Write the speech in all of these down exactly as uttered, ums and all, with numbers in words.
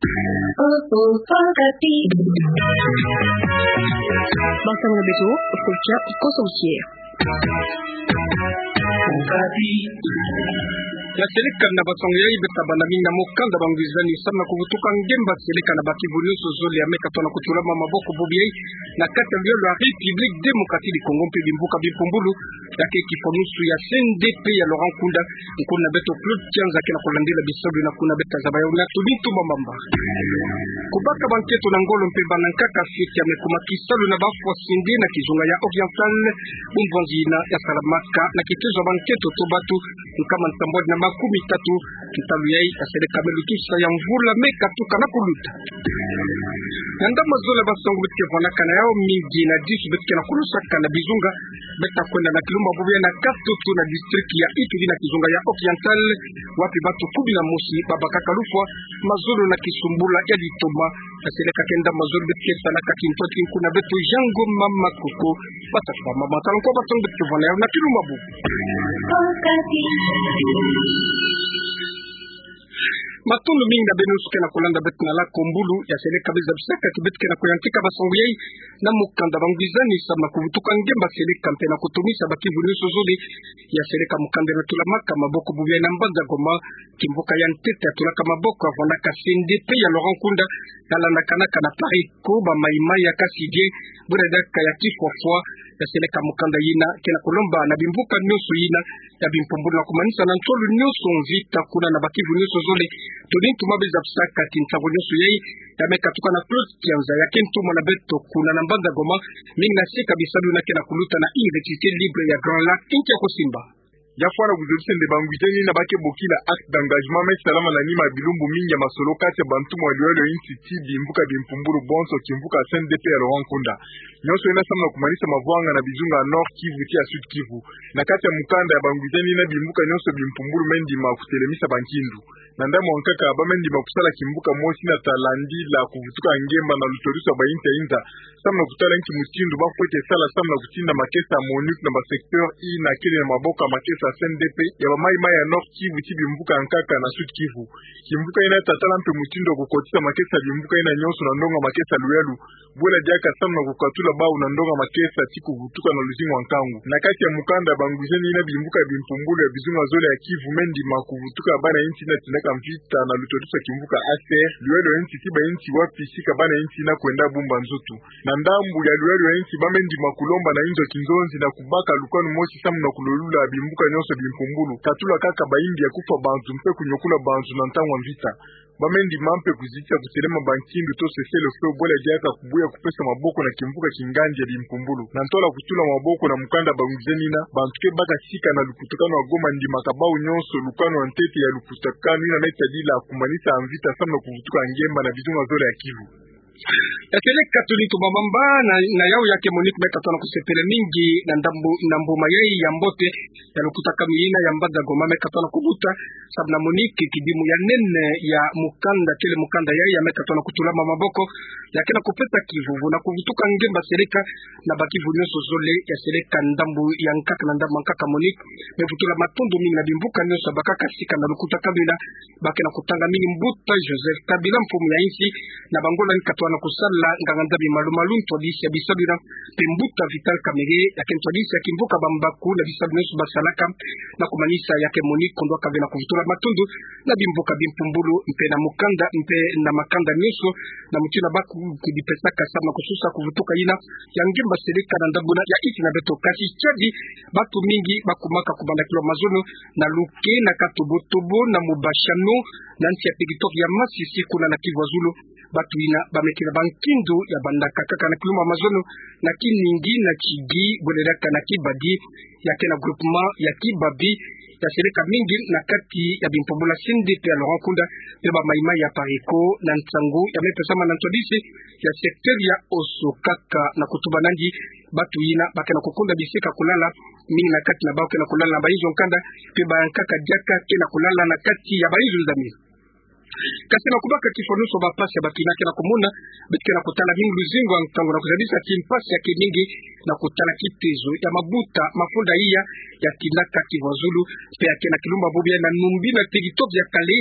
Basango na beto, kocha, kosa usier. Ya seleka na basango yai beta bana mingi na mokanda ba ngwizani samu na kuvutuka ngemba seleka na bakivu nyonso zole ya me katona kutulama maboko bubu yai na kati ya luyalo ya République Démocratique du Congo mpe bimvuka bimpumbulu, ya ke kifwanusu ya C N D P ya Laurent Nkunda. Nkuna beto Claude Kianza ke na kulandila bisalu na kuna beta zaba ya una tuni tumba mamba. Kubaka banketo na ngolo mpe bana nkaka fiti ya me kuma kisalu na bafwa sende na kizunga ya Oriental, bunzonzi yina ya salamaka na kitezo ya banketo to batu nkama nsambwadi na makumi tatu. Ntalu yai ya seleka me lutusa ya mvula me katuka na kuluta. Na ndambu mazola basango beto ke vwanaka na yau, mingi na disu beto ke na kulusaka na bizunga. Beta kwenda na kilumbu bubu yai na Katoto na district ya Ituri na kizunga ya Oriental, wapi batu kumi na mosi babakaka lufwa mazono na kisumbula ya litoma. Ya seleka ke ndambu mazola beto ke salaka kintwati nkuna beto Jean Ngoma Makoko. Bata kwa mama tala nkwa basango beto ke vwana yau na kilumbu bubu. Matondo mingi na beno nyonso ke na kulanda beto na la Kombulu. Ya seleka me zabisaka ti beto ke na kuyantika basango yai na mokanda ba ngwizani samu na kuvutuka ngemba seleka mpe na kutumisa bakivu nyonso zole. Ya seleka mokanda ya me tulamaka maboko bubu yai na mbanza Goma. Kimvuka ya ntete ya tulaka maboko ya vwanaka C N D P ya Laurent Nkunda, ya landakanaka na PARECO, ba maï-maï ya kasi die, buna diaka ya kifwafwa. Ya seleka mokanda yina ke na kulomba na bimvuka nyonso yina ya bimpumbulu na kumanisa na nsolo nyonso mvita kuna na bakivu nyonso zole. Toni ntuma me zabisaka ti nsangu nyonso yai ya me katuka na Claude Kianza, ya ke ntumwa na beto kuna na mbanza Goma. Mingi na sika bisalu yina ke na kuluta na Université Libre ya Grand Lac, inki ya kusimba. Ya fwana kuzolisa nde ba ngwizani yina ba ke bokila acte d'engagement me salama na nima ya bilumbu mingi ya masolo kati ya bantumwa ya luyalo ya insi ti bimvuka bimpumbulu bonso, kimvuka C N D P ya Laurent Nkunda. Nyonso yina samu na kumanisa mavwanga na bizunga ya Nord Kivu ti ya Sud Kivu. Na kati ya mokanda ya ba ngwizani yina, bimvuka nyonso bimpumbulu me ndima kutelemisa bankindu. Na ndambu ya nkaka, ba me ndima kusala kimvuka mosi yina ta landila kuvutuka ngemba na lutwadusu ya ba insi ya inza, samu na kutala nki mutindu ba kwe ke sala samu na kutinda makesa ya MONUC na ba secteur yina kele na maboko ya makesa ya C N D P ya ba maï-maï ya Nord Kivu ti bimvuka ya nkaka na Sud Kivu. Kimvuka yina ta tala mpe mutindu ya kukotisa makesa ya bimvuka yina nyonso na ndonga makesa ya luyalu, bwela diaka samu na kukatula bau na ndonga makesa ti kuvutuka na luzingu ya nkangu. Na kati ya mokanda ya ba ngwizani yina, bimvuka bimpumbulu ya bizunga zole ya Kivu me ndima kuvutuka bana insi yina tindaka mvita na lutwadusu ya kimvuka A C R, luyalo ya insi ti ba insi wapi sika bana insi yina kwenda bumba nzutu. Na ndambu ya luyalo ya insi, ba me ndima kulomba na inzo ya kinzonzi na kubaka lukwanu mosi samu na kulolula bimvuka nyonso bimpumbulu, katula kaka bayimbi ya kufwa bantu mpe kunyokula bantu na ntangu ya mvita. Ba me ndima mpe kuzitisa kutelema bankindu to cessez-le-feu, bwela diaka kubuya kupesa maboko na kimvuka kingandi ya bimpumbulu. Na ntola kutula maboko na mokanda ya ba ngwizani yina, bantu ke baka sika na lukutakanu ya Goma ndimaka bau nyonso lukwanu ya ntete ya lukutakanu yina me tadila kumanisa mvita samu na kuvutuka ngemba na bizunga zole ya Kivu. Ya seleka toni ntuma mamba na, na yau ya ke MONUC me katona kusepela mingi na ndambu, na mbuma yai ya mbote ya lukutakanu yina ya mbanza Goma me katona kubuta, samu na MONUC kidimu ya nene ya mokanda, kele mokanda yai ya me katona kutulama maboko, ya ke na kupesa kivuvu na kuvutuka ngemba seleka na bakivu nyonso zole. Ya seleka ndambu ya nkaka, na ndambu ya nkaka MONUC me vutula matondo mingi na bimvuka nyonso ya bakaka sika na lukutakanu yina. Ba ke na kutanga mingi Mbuta Joseph Kabila, mfumu ya insi, na bangolani katona kusala nganga-Nzambi malu-malu, ntwadisi ya bisalu yina, mpe Mbuta Vital Kamerhe, ya ke ntwadisi ya kimvuka Bambaku, na bisalu nyonso ba salaka na kumanisa ya ke MONUC, kondwa kave na kuvutula matondo na bimvuka bimpumbulu, mpe na mokanda, mpe na makanda nyonso, na mutindu ba ku-, kudipesaka samu na kususa kuvutuka yina ya ngemba seleka na ndambu yina ya insi na beto. Kasi tiadi, batu mingi ba kumaka kubanda kilwa mazono na Luke, na Katobotobo, na Mubashano, na nsi ya territoire ya Masisi kuna na Kivu ya Zulu. Batu yina ba me kena bankindu ya bandaka kaka na kilumba mazono na Kiningi, na Kigi, bwela diaka na Kibadi, ya ke na groupement ya Kibabi. Ya seleka mingi na kati ya bimpumbulu ya C N D P ya Laurent Nkunda, mpe ba maï-maï ya PARECO na nsangu ya me pesama na ntwadisi ya secteur ya Oso. Kaka na kutuba nandi, batu yina ba ke na kukunda bisika kulala, mingi na kati na bau ke na kulala na bainzo ya nkanda, mpe bankaka diaka ke na kulala na kati ya bainzo ya nzambi. Kasi na kubaka kifwa nyonso bampasi ya batina ke na kumona, beto ke na kutala mingi luzingu ya nkangu na kuzabisa ti mpasi ya ke mingi na kutala kitezo ya mabuta mafunda iya ya tinaka Kivu ya Zulu, mpe ya ke na kilumba bobo ya na numbi na territoire ya kale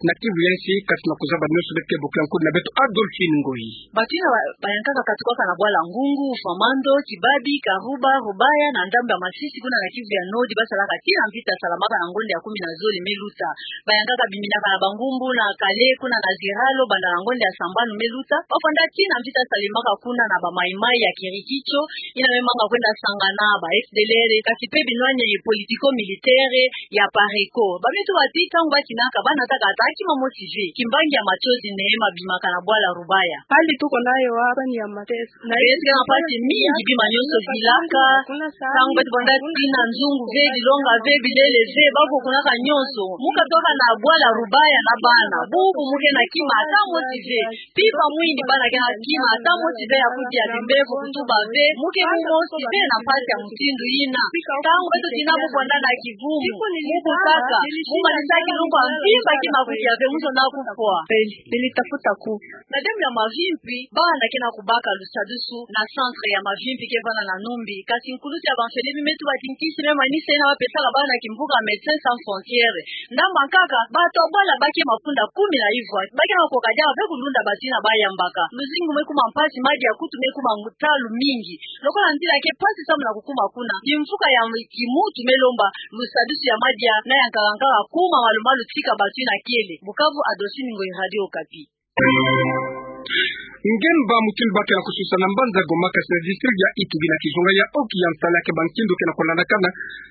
na Kivu ya Nsi, kasi na kuzaba nyonso beto ke bokila nkuna na beto Adolphine Ngoyi. Batina ba-, bayankaka katukaka na bwala Ngungu, Famando, Kibabi, Karuba, Rubaya, na ndambu ya Masisi kuna na Kivu ya Nord, basalaka tii na mvita salamaka na ngonda ya kumi na zole me luta. Bayankaka biminaka na Bangumbu, na Kale, kuna na Ziralo, banda na ngonda ya sambanu me luta. Bafwanda tii na mvita salemaka kuna na ba Mai-Mai ya Kirikicho, yina me manga kwenda sangana ba F D L R, kasi mpe binwani politico-militaire ya PARECO. Ba me tuba ti ntangu batinaka, banataka ata kima mosi ve. Kimbangi ya Matsozi Neema abimaka na bwala Rubaya. Hali tuko nayo hapa ni ya mateso. Na beto ke na mpasi mingi, bima nyonso vilaka. Ntangu beto banda tii na nzungu ve, bilonga ve, bilele ve, bakukunaka nyonso. Mu katuka na bwala Rubaya na bana. Bubu mu ke na kima ata mosi ve. Mpimpa mwini bana ke na kima ata mosi ve ya kudia, bimbevo kutuba ve, mu ke mu mosi ve na mpasi ya mutindu yina. Ntangu beto tina mu kwenda na kivumu, mu kukaka, mu manisa kilumbu ya mpimpa, kima kudia ve, mu zonza kufwa. Nilitafuta kufa. Na demi ya mavimpi, bana ke na kubaka lusadusu na centre ya mavimpi ke vanda na Numbi. Kasi nkulutu ya ba mfele mi me tuba ti nkisi me manisa yina bapesaka bana kimvuka Médecins Sans Frontières. Ndambu ya nkaka, bato ya bwala ba ke mafunda kumi na ivwa, ba ke na kokoka diaka ve kulunda batina bayambaka. Luzingu me kuma mpasi, madia kutu me kuma ntalu mingi. Lokola nzila ke mpasi samu na kukuma kuna, kimvuka ya kimuntu me lomba lusadusu ya madia na ya nkaka-nkaka kuma malu-malu tika bato yina kele. Bukavu, Adolphine Ngoyi, Radio Okapi. Ngemba mutindu ba ke na kususa na mbanza Goma, kasi na district ya Ituri, na kizunga ya Oki ya nsala ke bankindu ke na kulandakana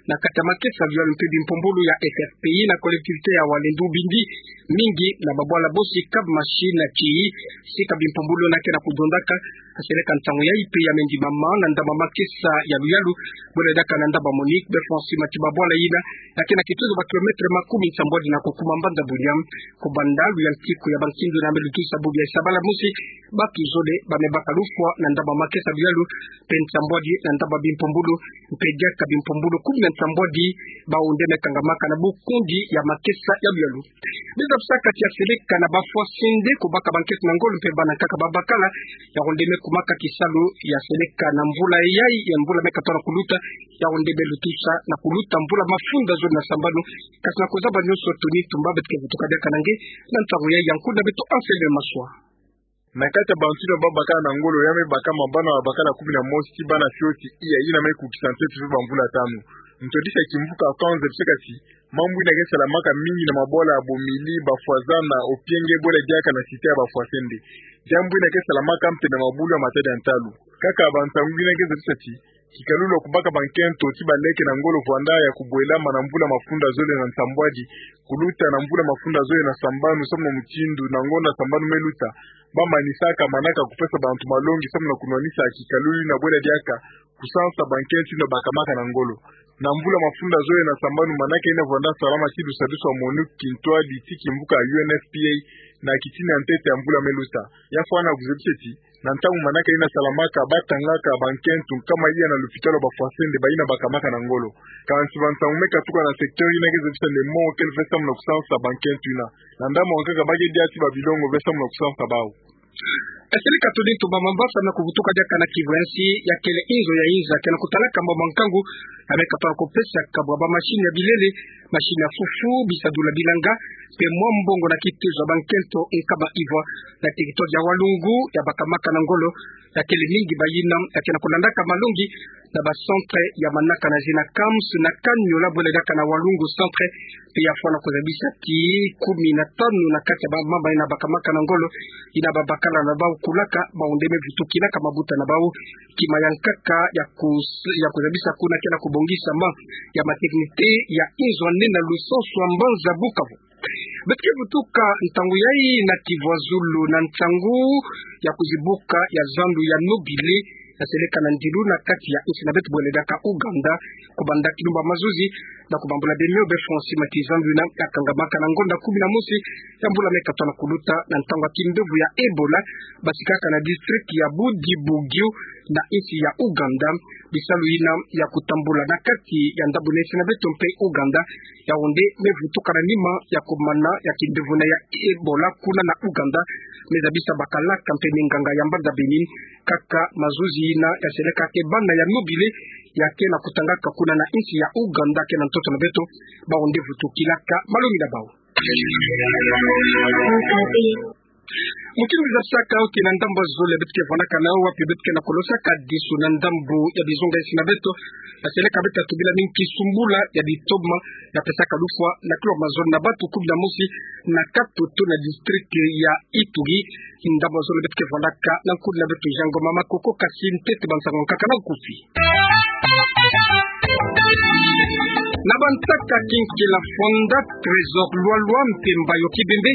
na kati ya makesa ya luyalu mpe bimpumbulu ya F F P I na collectivité ya Walendu, bindi mingi na babwala bosi Kab Mashi na Tiyi, sika bimpumbulu yina ke na kudondaka. Seleka nsangu yayi mpe ya me ndimama na ndambu ya makesa ya luyalu, bwele diaka na ndambu ya Monique, be François Matiba, bwala yina ya ke na kituzu ba kilomètre makumi nsambwadi na kukuma mbanza Bunia. Kubanda luyantiku ya bankindu yina me lutusa bubu ya Sabala mosi, bato zole ba me baka lufwa na ndambu ya makesa ya luyalu, mpe nsambwadi na ndambu ya bimpumbulu, mpe diaka bimpumbulu kumi na nsambwadi, bawu nde me kangamaka na bukundi ya makesa ya luyalu. Bizabisa kati ya seleka na bafwasende kubaka bankento na ngolo mpe bana nkaka babakala, yawu nde me kumaka kisalu ya seleka na mvula yayi, ya mvula me katona kuluta, yawu nde me lutusa na kuluta mvula mafunda zole na sambanu. Kasi na kuzaba nyonso, Tony Tumba, beto ke vutuka diaka na nge na ntangu yayi ya nkundu na beto Anselme Maswa. Na kati ya bantu yina babakala na ngolo, ya me bakama bana babakala kumi na mosi ti bana fioti iya, yina me kukisa ntetu ve bamvula tanu. Ntwadisi ya kimvuka Akanze biseka ti mambu yina ke salamaka mingi na mabwala ya Bomili, Bafwazana, Opienge, bwele diaka na cité ya bafwasende. Diambu yina ke salamaka mpe na mabulu ya matadi ya ntalu. Kaka bansangu yina ke zabisa ti kikalulu ya kubaka bankento ti baleke na ngolo vwanda ya kubwelama na mvula mafunda zole na nsambwadi kuluta na mvula mafunda zole na sambanu, samu na mutindu na ngonda sambanu me luta, ba manisaka manaka kupesa bantu malongi samu na kunwanisa kikalulu yina, bwele diaka kusansa bankento yina bakamaka na ngolo. Na mvula mafunda zole na sambanu, manaka yina vwanda salama ti lusadusu ya Monique, kintwadi ti kimvuka U N F P A, na kitini ya ntete ya mvula me luta. Ya fwana kuzabisa ti na ntangu manaka yina salamaka, batangaka bankento nkama iya na lupitalu ya bafwasende bayina bakamaka na ngolo. Kansi bansangu me katuka na secteur yina ke zabisa nde mo kele ve samu na kusansa bankento yina. Na ndambu ya nkaka ba ke dia ti babilongo ve samu na kusansa bawu. Esili katuli ntumba mamba samu na kuvutuka diaka na Kivu ya Nsi, ya kele inzo ya inza ke na kutalaka mbamba nkangu, ya me katona kupesa kabwa bamashini ya bilele, mashini ya fufu, bisadula bilanga, mpe mwa mbongo na kitezo ya bankento nkama ivwa na territoire ya Walungu, ya bakamaka na ngolo, ya kele mingi bayina ya ke na kulandaka malongi na ba centre ya manaka na zina Kams na Kanyola, bwele diaka na Walungu centre, mpe ya fwana kuzabisa ti kumi na tanu na kati ya ba mama yina bakamaka na ngolo, yina babakala na bawu kulaka, bawu nde me vutukilaka mabuta na bawu. Kima ya nkaka ya kus-, ya kuzabisa kuna ke na kubongisama ya maternité ya inzo ya nene na lusansu ya mbanza Bukavu. Beto ke vutuka ntangu yayi na Kivu ya Zulu na nsangu ya kuzibuka ya zandu ya Nobile, ya seleka na ndilu na kati ya insi na beto bwele diaka Ouganda, kubanda kilumbu ya mazuzi, na kubambula bemio be Francis Matiza, zandu yina ya kangamaka na ngonda kumi na mosi ya mvula me katona kuluta, na ntangu ya kimbevo ya Ebola, basikaka na district ya Bundibugyo na insi ya Ouganda. bisalu yina ya kutambula na kati ya ndambu na insi na beto mpe Ouganda, yawu nde me vutuka na nima ya kumana ya kindevuna ya Ebola kuna na Ouganda. Me zabisa bakalaka mpe minganga ya mbanza Bénin kaka mazuzi yina ya seleka ke bana ya mobile ya ke na kutangaka kuna na insi ya Ouganda ke na ntoto na beto, bawu nde vutukilaka malongi na bawu. Mutindu zabisaka awu ke na ndambu zole beto ke vandaka nawu, wapi beto ke na kulosaka disu na ndambu ya bizunga insi na beto, ya seleka beto tubila mingi kisumbula ya ditoma ya pesaka lufwa na kilo mazono na batu kumi na mosi na katoto na district ya Ituri. Ndambu zole beto ke vandaka na nkulu na beto Jean Ngoma Makoko, kasi ntete bansangu nkaka na nkufi. Na bansaka kinkela Fonda, Trésor Lualua mpe Mbayo Kibembe,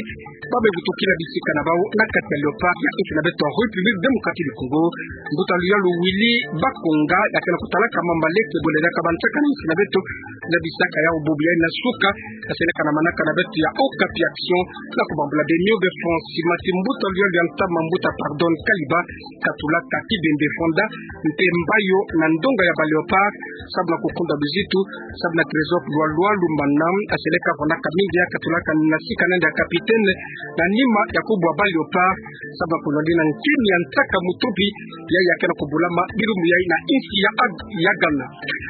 ba me vutukila bisika na bawu na kati ya Léopard ya insi na beto République Démocratique du Congo. Mbuta luyalu Willy Bakonga, ya ke na kutalaka mambu maleke bole diaka bansaka na insi na beto, zabisaka yawu bubu yayi na suka ya seleka na manaka na beto ya Okapi Action, na kubambula Beno Befransi Mati, mbuta luyalu ya ntama, mbuta Pardon Kaliba, katulaka Kibembe, Fonda mpe Mbayo na ndonga ya ba Léopard, sababu na kukunda luzitu, sababu na Trésor Lualua Lumana ya seleka vandaka mingi, ya katulaka na sika na nde ya capitaine na nima ya kubu ya ba Léopard, sababu na kulonda na nkemi ya nsaka mutubi ya, ya ke na kubulama bilumbu yayi na insi ya Ag-, ya Ghana.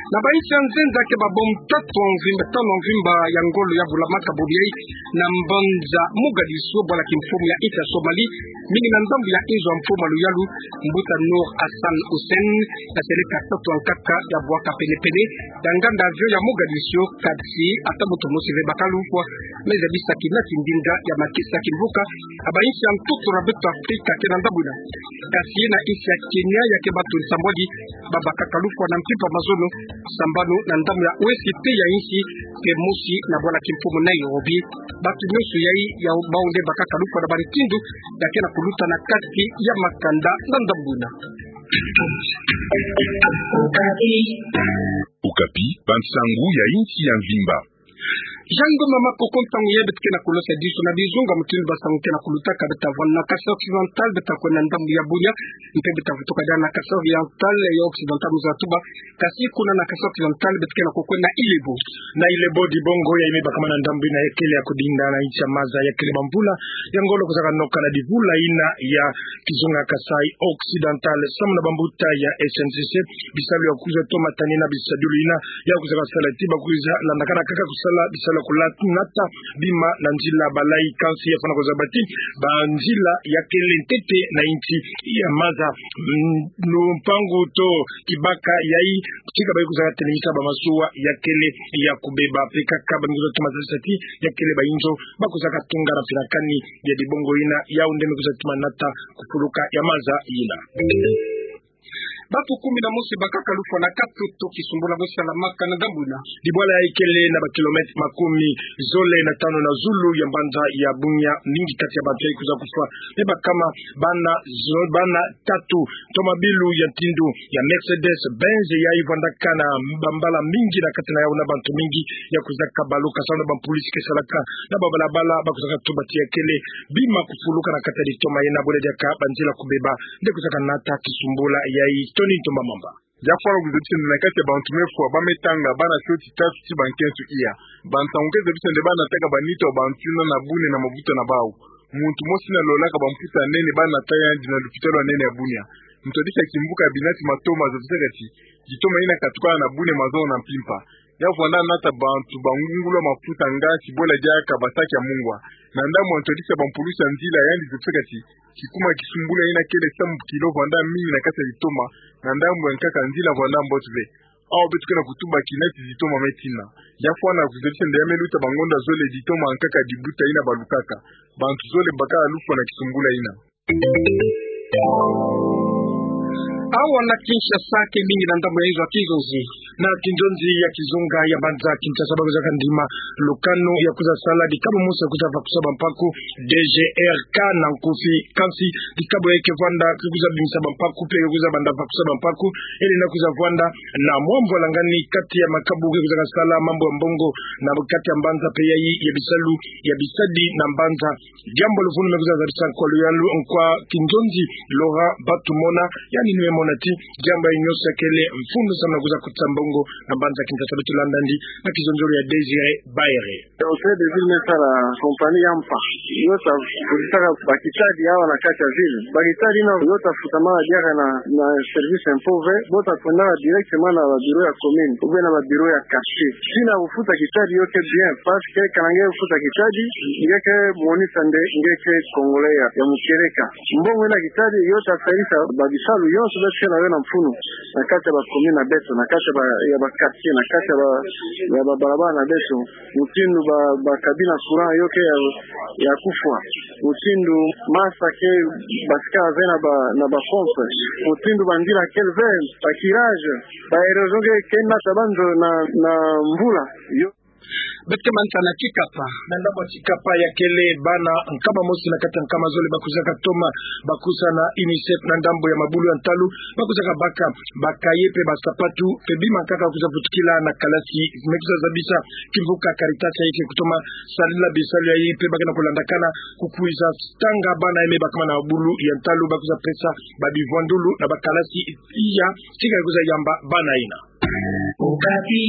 Na bainsi ya nzenza ke babombe tatu ya mvimba, tanu ya mvimba ya ngolo ya bulamaka bubu yayi na mbanza Mogadiscio, bwala kimfumu ya insi ya Somalie, mingi na ndambu ya inzo ya mfumu ya luyalu, mbuta Nour Hassan Hussein, ya seleka tatu ya nkaka ya bwaka penepene ya nganda avion ya Mogadiscio, kasi ata muntu mosi ve baka lufwa. Me zabisa kina tindinga ya makesa kimvuka ya bainsi ya ntoto na beto Afrika ke na ndambu yina. Kasi na insi ya Kenya, ya ke batu nsambwadi ba bakaka lufwa na mpimpa mazono, sambanu na ndambu ya O S P ya insi, mpe mosi na bwala kimfumu Nairobi. Batu nyonso yayi ya bawu nde bakaka lufwa na bantindu ya ke na kuluta na kati ya makanda na ndambu yina. Okapi, bansangu ya insi ya mvimba. Jean Ngoma Makoko, ntangu yayi beto ke na kulosa disu na bizunga mutindu bansangu ke na kulutaka. Beta vwanda na Kasaï Occidental, beta kwenda na ndambu ya Bunia, mpe beta vutuka diaka na Kasaï Oriental, ya Occidental, mu za tuba. Kasi kuna na Kasaï Occidental beto ke na kukwenda na Ilebo. Na Ilebo, dibongo yayi me bakama na ndambu yina ya kele ya kudinda na insi ya maza ya kele bamvula ya ngolo kuzaka noka na divula yina ya kizunga Kasaï Occidental. Samu na bambuta ya S N C C, bisalu ya kwiza toma tanina bisadulu yina ya kwiza kasala ti ba kwiza landakana kaka kusala bisalu ya kulata nata bima na nzila. Balayi kansi ya fwana kuzaba ti banzila ya kele ntete na insi ya maza. Mm, lupangu to kibaka yayi, tika bayi kwiza katelemisa bamasuwa ya kele ya kubeba, mpe kaka ba me kwiza toma zabisa ti ya kele bayinzo ba kwiza katunga na mpila kani ya dibongo yina, yawu nde me kwiza toma nata kufuluka ya maza yina. Batu kumi na mosi bakaka lufwa na katoto kisumbula bo salamaka na ndambu yina. Dibwala yayi kele na ba kilomètre makumi zole na tanu na zulu ya mbanza ya Bunia. Mingi kati ya bantu yayi kwiza kufwa me bakama bana zo-, bana tatu. Tomabilu ya ntindu ya Mercedes Benz yayi vwandaka na bambala mingi na kati na yawu na bantu mingi ya kwiza kabaluka samu na bampulisi ke salaka na babalabala ba kwiza katuba ti ya kele bima kufuluka na kati ya ditoma yina, bole diaka banzila kubeba nde kwiza kanata kisumbula yayi. Tony Ntomba Mamba. Ya fwana kuzabisa nde na kati ya bantu me fwa ba me tanga bana tioti tatu ti ba nkento iya. Bansangu ke zabisa nde ba nataka ba nitu ya bantu yina na bune na mabuta na bawu. Muntu mosi na lolaka bamputa ya nene ba nata yandi na lupitalu ya nene ya Bunia. Ntwadisi ya kimvuka ya binati Matoma azabisaka ti ditoma yina katukana na bune mazono na mpimpa. Ya vwanda nata bantu ba ngungulu ya maputa nga kibwela diaka ba saki ya mungwa. Na ndambu ya ntwadisi ya bampulisi ya nzila, yandi zabisaka ti kikuma kisumbula yina kele samu kilo vwanda mingi na kati ya ditoma, na ndambu ya nkaka nzila vwanda mbote ve. Awa beto ke na kutuba kina ti ditoma me tina. Ya fwana kuzabisa nde ya me luta bangonda zole ditoma ya nkaka dibuta yina balukaka. Bantu zole bakala lufwa na kisumbula yina. Awa na Kinshasa ke mingi na ndambu ya inzo ya kizonzi. Na kinzonzi ya kizunga ya mbanza Kinshasa ba kwiza kandima lukanu ya kwiza sala dikabo mosi ya kwiza vakusa bampaku, D G R K na nkufi, kansi dikabo ya ke vwanda ke kwiza bimisa bampaku mpe ke kwiza banda vakusa bampaku, ele na kwiza vwanda na mwa mvwalangani kati ya makabu ke kwiza kasala mambu ya mbongo na kati ya mbanza mpe yayi ya bisalu ya bisadi na mbanza. Diambu luvunu me kwiza zabisa nkwa luyalu, nkwa kinzonzi Laurent Batumona, yandi ni me mona ti diambu yayi nyonso kele mfunu samu na kwiza kotisa mbongo na mbanza Kinshasa. Beto landa yandi na kizonzolo ya Désiré Baere. Conseil de ville me sala compagnie ya mpa yo ta vutisaka bakitadi awa na kati ya ville. Bakitadi yina yo ta futamaka diaka na, na service impôt ve, bo ta kwendaka directement na ba bureau ya commune ou bien na ba bureau ya quartier. Tina kufuta kitadi yo ke bien, parce que kana nge kufuta kitadi, nge ke monisa nde nge ke Congolais ya, ya mukereka. Mbongo yina kitadi yo ta salisa ba bisalu yonso beto ke na yo na mfunu na kati ya ba commune na beto, na kati ya ba, ya ba quartier, na kati ya ba, ya ba balabala na beto. Mutindu ba, ba cabine ya courant yo ke ya, ya kufwa. Mutindu masa ke basika ve na ba, na ba pompe. Mutindu ba nzila kele ve, ba curage, ba érosion ke, ke nata ba nzo na, na mvula. Yo. Beto ke manisa na Tshikapa. Na ndambu ya Tshikapa ya kele bana nkama mosi na kati ya nkama zole ba kwizaka toma, ba kwiza na UNICEF na ndambu ya mabulu ya ntalu, ba kwizaka baka ba cahier mpe ba sapatu mpe bima nkaka kwiza vutukila na kalasi. Me kwiza zabisa kimvuka Caritas yayi ke kutoma sarila bisalu yayi mpe ba ke na kulandakana kukwiza tanga bana yayi me bakama na mabulu ya ntalu, ba kwiza pesa ba bivwandulu na ba kalasi iya, tika kwiza yamba bana yina. Okapi.